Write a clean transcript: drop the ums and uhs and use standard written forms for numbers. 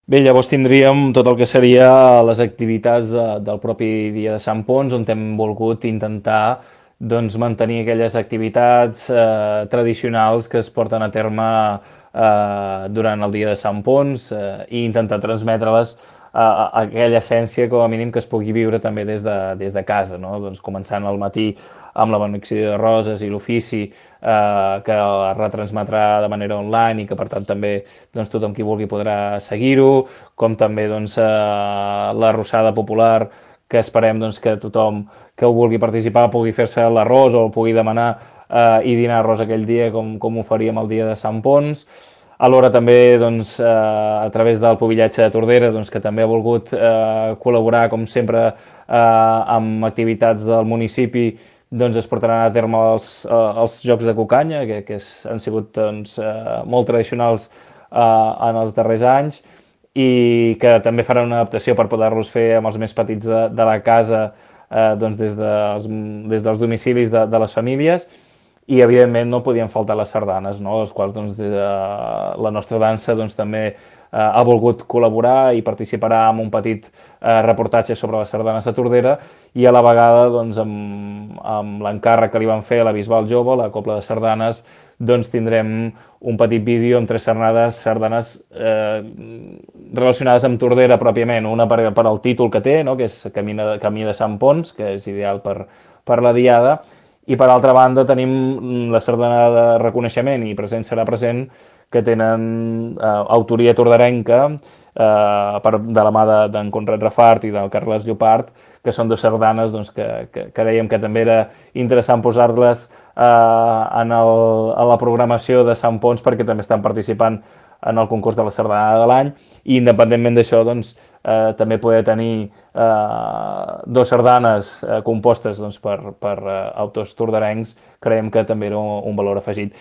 Bé, llavors tindríem tot el que seria les activitats del propi dia de Sant Ponç, on hem volgut intentar doncs, mantenir aquelles activitats tradicionals que es porten a terme durant el dia de Sant Ponç i intentar transmetre-les aquella essència com a mínim que es pugui viure també des de casa, no? Doncs començant al matí amb la benedicció de roses i l'ofici que es retransmetrà de manera online i que per tant també doncs, tothom qui vulgui podrà seguir-ho, com també doncs, la rossada popular que esperem doncs, que tothom que ho vulgui participar pugui fer-se l'arròs o el pugui demanar i dinar arròs aquell dia com ho faríem el dia de Sant Ponç. Alhora també doncs, a través del Pubillatge de Tordera doncs, que també ha volgut col·laborar com sempre amb activitats del municipi doncs es portaran a terme els Jocs de Cucanya, han sigut doncs, molt tradicionals en els darrers anys i que també faran una adaptació per poder-los fer amb els més petits de la casa doncs des dels domicilis de les famílies i evidentment no podien faltar les sardanes, no? Les quals doncs, la nostra dansa doncs, també ha volgut col·laborar i participarà en un petit reportatge sobre les sardanes de Tordera i a la vegada doncs, amb l'encàrrec que li van fer a la Bisbal Jove, la Cobla de Sardanes, doncs tindrem un petit vídeo amb tres sardanes relacionades amb Tordera pròpiament, una per al títol que té, no? Que és Camí de Sant Ponç, que és ideal per la diada, i per altra banda tenim la sardana de reconeixement i present serà present que tenen autoria tordarenca de la mà d'en Conrad Rafart i del Carles Llopart, que són dues sardanes doncs, que creiem que també era interessant posar-les a la programació de Sant Ponç perquè també estan participant en el concurs de la sardana de l'any i independentment d'això doncs, també poder tenir dues sardanes compostes doncs, per autors tordarencs creiem que també era un valor afegit.